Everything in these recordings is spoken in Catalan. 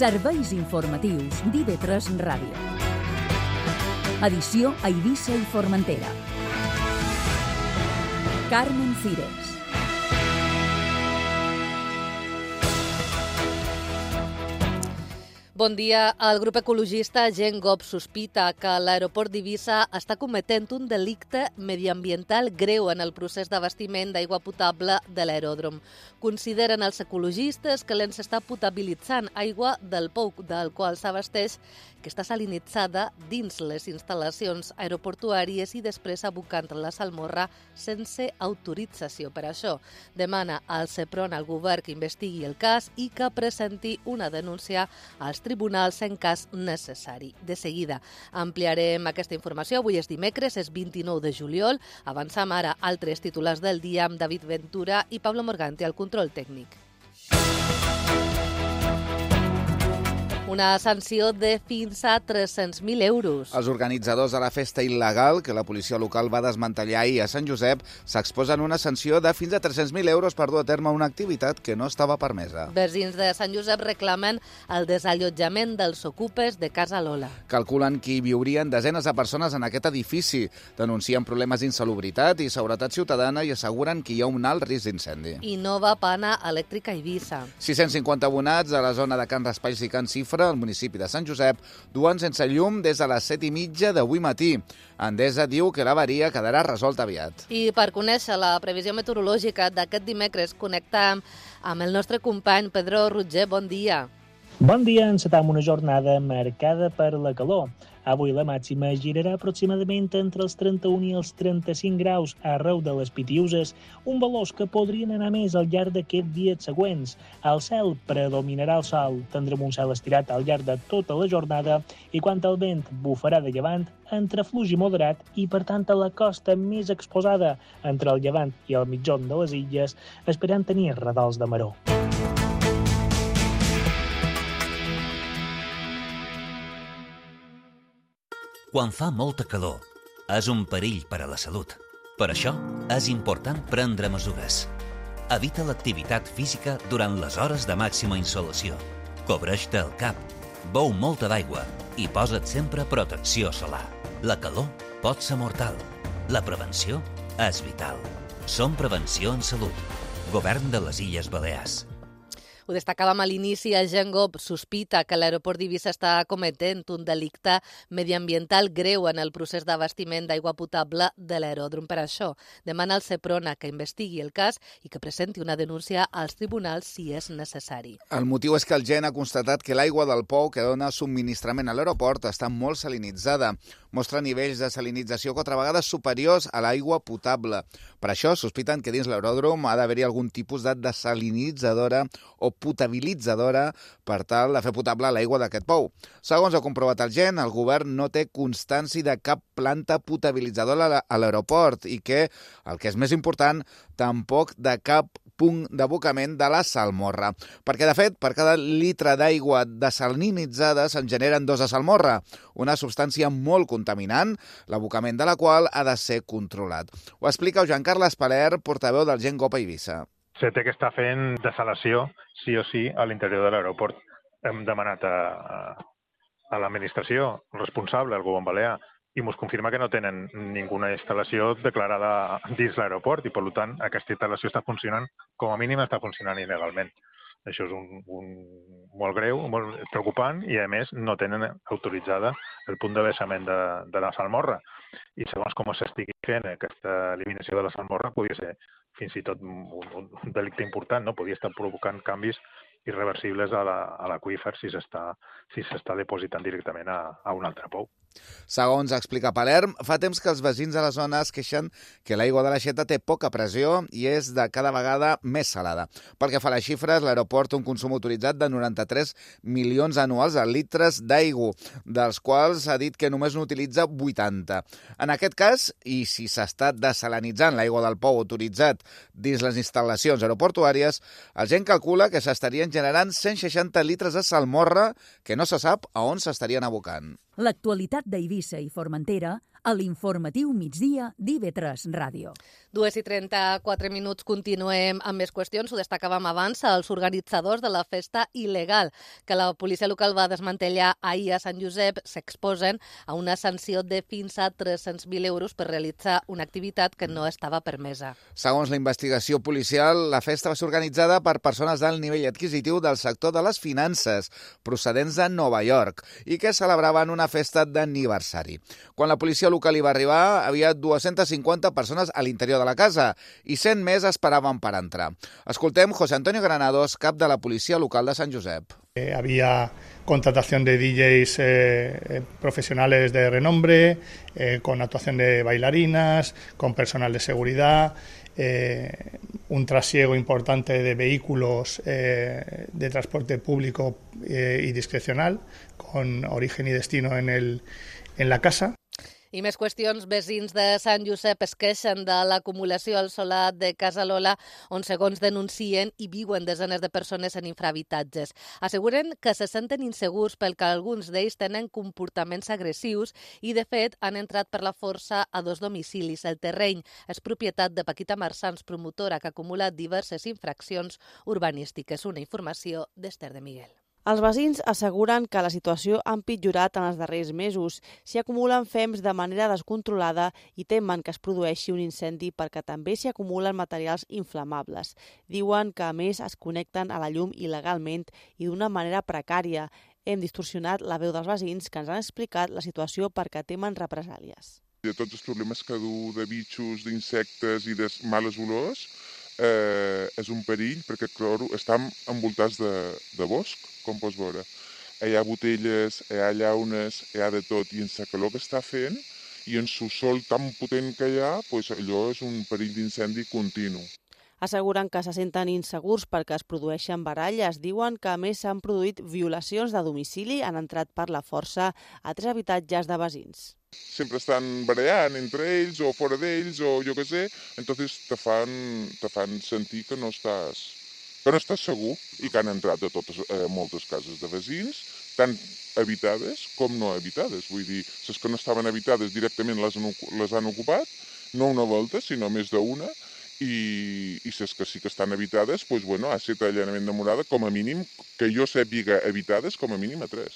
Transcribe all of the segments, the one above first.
Serveis informatius d'IV3 Ràdio. Edició a Eivissa i Formentera. Carmen Cires. Bon dia. El grup ecologista Gent Gop sospita que l'aeroport d'Eivissa està cometent un delicte mediambiental greu en el procés d'abastiment d'aigua potable de l'aeròdrom. Consideren els ecologistes que l'ENS està potabilitzant aigua del pou del qual s'abasteix, que està salinitzada dins les instal·lacions aeroportuàries i després abocant la salmorra sense autorització. Per això demana al CEPRON al govern que investigui el cas i que presenti una denúncia als tribunals en cas necessari. De seguida ampliarem aquesta informació. Avui és dimecres, és 29 de juliol. Avançam ara altres titulars del dia amb David Ventura i Pablo Morganti al control tècnic. Una sanció de fins a 300.000 euros. Els organitzadors de la festa il·legal que la policia local va desmantellar ahir a Sant Josep s'exposen una sanció de fins a 300.000 euros per dur a terme una activitat que no estava permesa. Veïns de Sant Josep reclamen el desallotjament dels ocupes de Casa Lola. Calculen que hi viurien desenes de persones en aquest edifici. Denuncien problemes d'insalubritat i seguretat ciutadana i asseguren que hi ha un alt risc d'incendi. I nova pana elèctrica a Eivissa. 650 abonats a la zona de Can Raspalls i Can Cifra, al municipi de Sant Josep, duen sense llum des de les 7:30 d'avui matí. Endesa diu que l'avaria quedarà resolta aviat. I per conèixer la previsió meteorològica d'aquest dimecres, connectam amb el nostre company Pedro Roger. Bon dia. Bon dia, encetam una jornada marcada per la calor. Avui la màxima girarà aproximadament entre els 31 i els 35 graus arreu de les Pitiüses, un valors que podrien anar més al llarg d'aquests dies següents. Al cel predominarà el sol, tindrem un cel estirat al llarg de tota la jornada i quan el vent bufarà de llevant, entre fluix i moderat i, per tant, a la costa més exposada entre el llevant i el mitjon de les illes, esperant tenir radols de maror. Quan fa molta calor, és un perill per a la salut. Per això, és important prendre mesures. Evita l'activitat física durant les hores de màxima insolació. Cobreix-te el cap, beu molta d'aigua i posa't sempre protecció solar. La calor pot ser mortal. La prevenció és vital. Som Prevenció en Salut. Govern de les Illes Balears. Ho destacàvem a l'inici, el Gent Gop sospita que l'aeroport d'Eivissa està cometent un delicte mediambiental greu en el procés d'abastiment d'aigua potable de l'aeròdrom. Per això demana al CEPRON que investigui el cas i que presenti una denúncia als tribunals si és necessari. El motiu és que el Gent ha constatat que l'aigua del pou que dona subministrament a l'aeroport està molt salinitzada. Mostra nivells de salinització 4 vegades superiors a l'aigua potable. Per això sospiten que dins l'aeròdrom ha d'haver-hi algun tipus de desalinitzadora o potabilitzadora per tal de fer potable l'aigua d'aquest pou. Segons ha comprovat el Gent, el govern no té constància de cap planta potabilitzadora a l'aeroport i que, el que és més important, tampoc de cap punt d'abocament de la salmorra. Perquè, de fet, per cada litre d'aigua desalinitzada se'n generen 2 de salmorra, una substància molt contaminant, l'abocament de la qual ha de ser controlat. Ho explica Joan Carles Paler, portaveu del Gent Gop a Eivissa. Se té que estar fent desalació, sí o sí, a l'interior de l'aeroport. Hem demanat a l'administració responsable, al govern balear, i ens confirma que no tenen ninguna instal·lació declarada dins l'aeroport i, per tant, aquesta instal·lació està funcionant, com a mínim està funcionant il·legalment. Això és molt greu, molt preocupant i, a més, no tenen autoritzada el punt de vessament de la salmorra. I segons com s'estigui fent aquesta eliminació de la salmorra, podria ser fins i tot un delicte important, no? Podria estar provocant canvis irreversibles a l'aqüífer si s'està depositant directament a un altre pou. Segons explica Palerm, fa temps que els veïns de la zona es queixen que l'aigua de l'aixeta té poca pressió i és de cada vegada més salada. Pel que fa a les xifres, l'aeroport té un consum autoritzat de 93 milions anuals de litres d'aigua, dels quals s'ha dit que només n'utilitza 80. En aquest cas, i si s'està desalinitzant l'aigua del pou autoritzat dins les instal·lacions aeroportuàries, el Gent calcula que s'estarien generant 160 litres de salmorra que no se sap a on s'estarien abocant. L'actualitat d'Eivissa i Formentera a l'informatiu migdia d'IV3 Ràdio. 2:34 continuem amb més qüestions. Ho destacàvem abans, els organitzadors de la festa il·legal que la policia local va desmantellar ahir a Sant Josep s'exposen a una sanció de fins a 300.000 euros per realitzar una activitat que no estava permesa. Segons la investigació policial, la festa va ser organitzada per persones d'alt nivell adquisitiu del sector de les finances, procedents de Nova York, i que celebraven una festa d'aniversari. Quan la policia local hi va arribar, havia 250 persones a l'interior de la casa i 100 més esperaven per entrar. Escoltem José Antonio Granados, cap de la policia local de Sant Josep. Había contratación de DJs profesionales de renombre, con actuación de bailarinas, con personal de seguridad, un trasiego importante de vehículos de transporte público y discrecional, con origen y destino en la casa. I més qüestions. Vecins de Sant Josep es queixen de l'acumulació al solar de Casa Lola, on, segons denuncien, hi viuen desenes de persones en infrahabitatges. Asseguren que se senten insegurs pel que alguns d'ells tenen comportaments agressius i, de fet, han entrat per la força a 2 domicilis. El terreny és propietat de Paquita Marsans, promotora que ha acumulat diverses infraccions urbanístiques. Una informació d'Esther de Miguel. Els veïns asseguren que la situació ha empitjorat en els darrers mesos. S'hi acumulen fems de manera descontrolada i temen que es produeixi un incendi perquè també s'hi acumulen materials inflamables. Diuen que, a més, es connecten a la llum il·legalment i d'una manera precària. Hem distorsionat la veu dels veïns que ens han explicat la situació perquè temen represàlies. De tots els problemes que du de bitxos, d'insectes i de males olors, és un perill perquè estem envoltats de bosc, com pots veure. Hi ha botelles, hi ha llaunes, hi ha de tot, i en la calor que està fent i en el sol tan potent que hi ha, allò és un perill d'incendi continu. Asseguren que se senten insegurs perquè es produeixen baralles. Diuen que, a més, s'han produït violacions de domicili, han entrat per la força a 3 habitatges de veïns. Sempre estan barallant entre ells o fora d'ells o jo què sé, entonces te fan sentir que no estàs segur i que han entrat a moltes cases de veïns, tant habitades com no habitades. Vull dir, les que no estaven habitades directament les han ocupat, no una volta, sinó més d'una, i les que sí que estan habitades, ha estat allanament de morada, com a mínim, que jo sàpiga habitades, com a mínim a 3.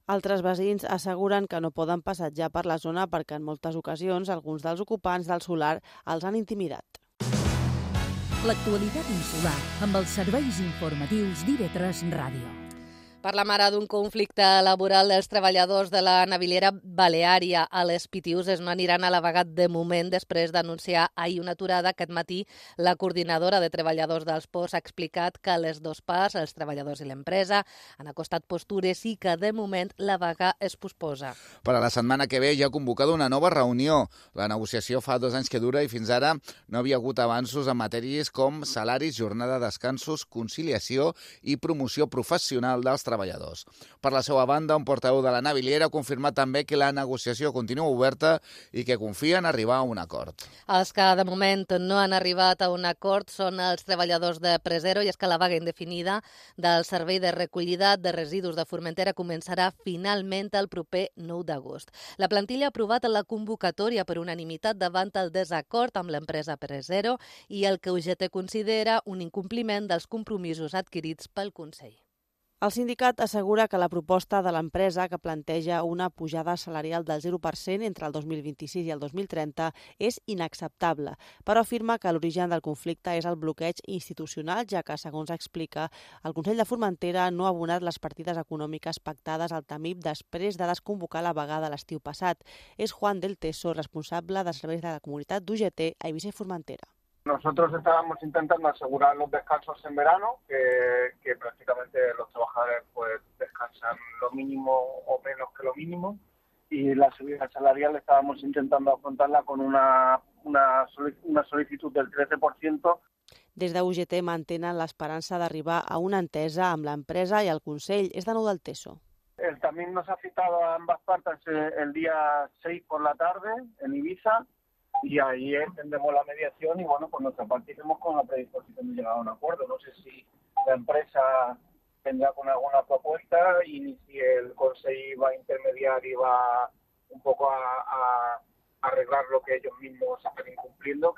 Altres veïns asseguren que no poden passejar per la zona perquè en moltes ocasions alguns dels ocupants del solar els han intimidat. L'actualitat insular amb els serveis informatius d'IV3 Ràdio. Parlam ara d'un conflicte laboral dels treballadors de la naviliera Baleària a les Pitiüses. No aniran a la vaga de moment després d'anunciar ahir una aturada. Aquest matí la coordinadora de treballadors dels ports ha explicat que les 2 parts, els treballadors i l'empresa, han acostat postures i que de moment la vaga es posposa. Per a la setmana que ve ja ha convocat una nova reunió. La negociació fa 2 anys que dura i fins ara no havia hagut avanços en matèries com salaris, jornada de descansos, conciliació i promoció professional dels treballadors. Per la seva banda, un portaveu de la naviliera ha confirmat també que la negociació continua oberta i que confia en arribar a un acord. Els que de moment no han arribat a un acord són els treballadors de Presero, i és que la vaga indefinida del servei de recollida de residus de Formentera començarà finalment el proper 9 d'agost. La plantilla ha aprovat la convocatòria per unanimitat davant el desacord amb l'empresa Presero i el que UGT considera un incompliment dels compromisos adquirits pel Consell. El sindicat assegura que la proposta de l'empresa, que planteja una pujada salarial del 0% entre el 2026 i el 2030, és inacceptable, però afirma que l'origen del conflicte és el bloqueig institucional, ja que, segons explica, el Consell de Formentera no ha abonat les partides econòmiques pactades al TAMIP després de desconvocar la vaga de l'estiu passat. És Juan del Teso, responsable de serveis de la comunitat d'UGT a Eivissa i Formentera. Nosotros estábamos intentando asegurar los descansos en verano, que prácticamente los trabajadores pues descansan lo mínimo o menos que lo mínimo, y la subida salarial estábamos intentando afrontarla con una solicitud del 13%. Des de UGT mantenen l'esperança d'arribar a una entesa amb l'empresa i el Consell. És de nou del Teso. También nos ha citado a ambas partes el día 6 por la tarde en Ibiza, y ahí extendemos la mediación y por nuestra parte iremos con la predisposición de llegar a un acuerdo. No sé si la empresa vendrá con alguna propuesta y si el Consejo va a intermediar y va un poco a arreglar lo que ellos mismos están incumpliendo.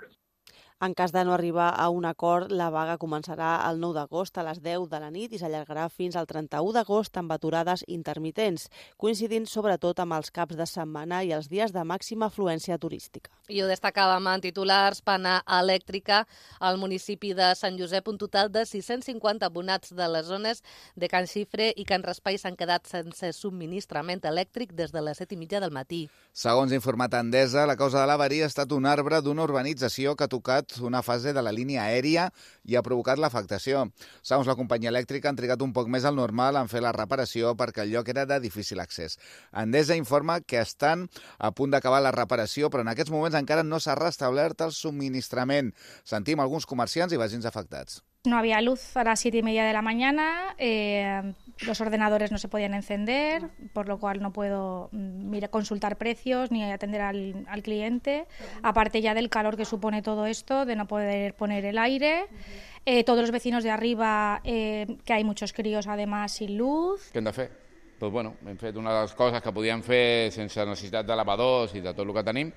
En cas de no arribar a un acord, la vaga començarà el 9 d'agost a les 10 de la nit i s'allargarà fins al 31 d'agost amb aturades intermitents, coincidint sobretot amb els caps de setmana i els dies de màxima afluència turística. I ho destacàvem en titulars. Pana Elèctrica al municipi de Sant Josep, un total de 650 abonats de les zones de Can Xifre i Can Raspall s'han quedat sense subministrament elèctric des de les 7:30 del matí. Segons informat Endesa, la causa de l'avaria ha estat un arbre d'una urbanització que ha tocat una fase de la línia aèria i ha provocat l'afectació. Segons la companyia elèctrica, han trigat un poc més al normal en fer la reparació perquè el lloc era de difícil accés. Endesa informa que estan a punt d'acabar la reparació, però en aquests moments encara no s'ha restablert el subministrament. Sentim alguns comerciants i veïns afectats. No había luz a las 7:30 de la mañana, los ordenadores no se podían encender, por lo cual no puedo consultar precios ni atender al cliente, aparte ya del calor que supone todo esto, de no poder poner el aire. Todos los vecinos de arriba, que hay muchos críos además sin luz. Què hem de fer? Doncs bueno, hem fet una de les coses que podíem fer sense necessitat de lavadors i de tot el que tenim,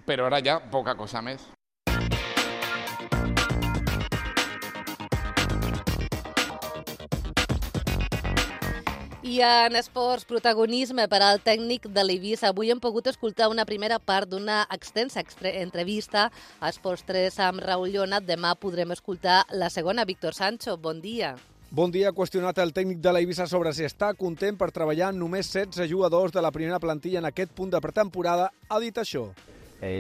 però ara ja poca cosa més. I en esports, protagonisme per al tècnic de l'Eivissa. Avui hem pogut escoltar una primera part d'una extensa entrevista a Esports 3 amb Raül Llona. Demà podrem escoltar la segona. Víctor Sancho, bon dia. Bon dia. Ha qüestionat el tècnic de l'Eivissa sobre si està content per treballar amb només 16 jugadors de la primera plantilla en aquest punt de pretemporada. Ha dit això.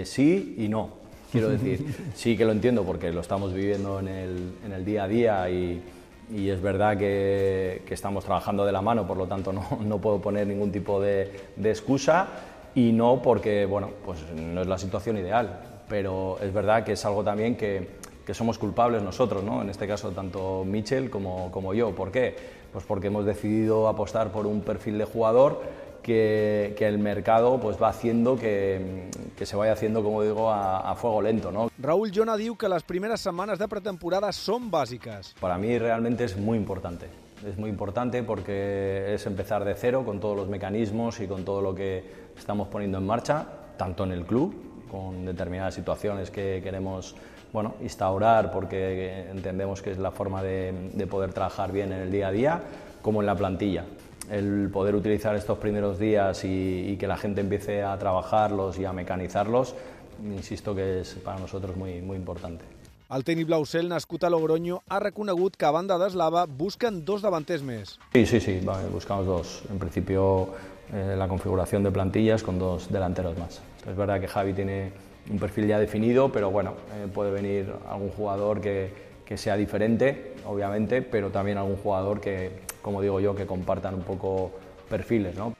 Sí y no. Quiero decir, sí que lo entiendo porque lo estamos viviendo en el día a día y es verdad que estamos trabajando de la mano, por lo tanto no puedo poner ningún tipo de excusa, y no porque, bueno, pues no es la situación ideal, pero es verdad que es algo también que somos culpables nosotros, ¿no? En este caso tanto Michel como yo. ¿Por qué? Pues porque hemos decidido apostar por un perfil de jugador que el mercado pues va haciendo que se vaya haciendo, como digo, a fuego lento, ¿no? Raül Llona diu que les primeres setmanes de pretemporada són bàsiques. Para mí realmente es muy importante. Es muy importante porque es empezar de cero con todos los mecanismos y con todo lo que estamos poniendo en marcha, tanto en el club, con determinadas situaciones que queremos instaurar porque entendemos que es la forma de poder trabajar bien en el día a día, como en la plantilla. El poder utilizar estos primeros días y que la gente empiece a trabajarlos y a mecanizarlos, insisto que es para nosotros muy, muy importante. El tècnic blaucel, nascut a Logroño, ha reconegut que a banda d'Eslava busquen 2 davanters més. Sí, buscamos 2. En principio la configuración de plantillas con 2 delanteros más. Es verdad que Javi tiene un perfil ya definido, pero bueno, puede venir algún jugador que sea diferente, obviamente, pero también algún jugador que, como digo yo, que compartan un poco perfiles, ¿no?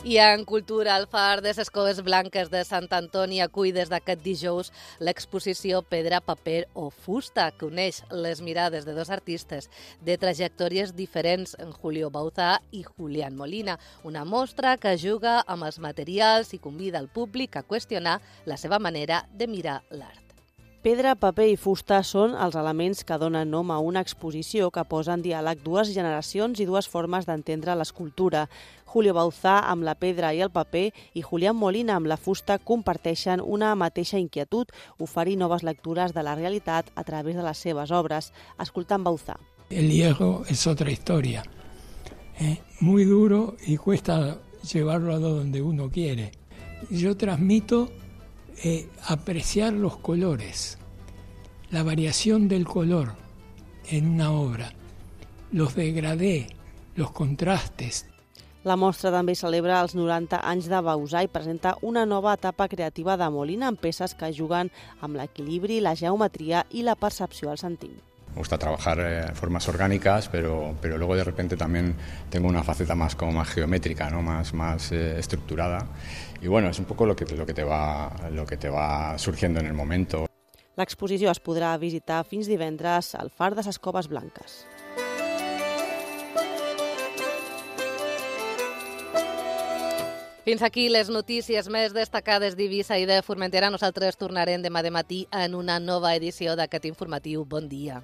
I en cultura, el Far de les Coves Blanques de Sant Antoni acull des d'aquest dijous l'exposició Pedra, Paper o Fusta, que uneix les mirades de 2 artistes de trajectòries diferents, en Julio Bauzá i Julián Molina. Una mostra que juga amb els materials i convida al públic a qüestionar la seva manera de mirar l'art. Pedra, paper i fusta són els elements que donen nom a una exposició que posa en diàleg 2 generacions i 2 formes d'entendre l'escultura. Julio Bauzá amb la pedra i el paper i Julián Molina amb la fusta comparteixen una mateixa inquietud, oferir noves lectures de la realitat a través de les seves obres. Escoltant Bauzá. El hierro es otra historia. Muy duro y cuesta llevarlo a donde uno quiere. Yo transmito apreciar los colores, la variación del color en una obra, los degradés, los contrastes. La mostra també celebra els 90 anys de Bauzá i presenta una nova etapa creativa de Molina amb peces que juguen amb l'equilibri, la geometria i la percepció al sentim. Me gusta trabajar formas orgánicas, pero luego de repente también tengo una faceta más geométrica, ¿no? más estructurada. Y bueno, es un poco lo que te va surgiendo en el momento. L'exposició es podrà visitar fins divendres al Far de les Coves Blanques. Fins aquí les notícies més destacades d'Eivissa i de Formentera. Nosaltres tornarem demà de matí en una nova edició d'aquest informatiu. Bon dia.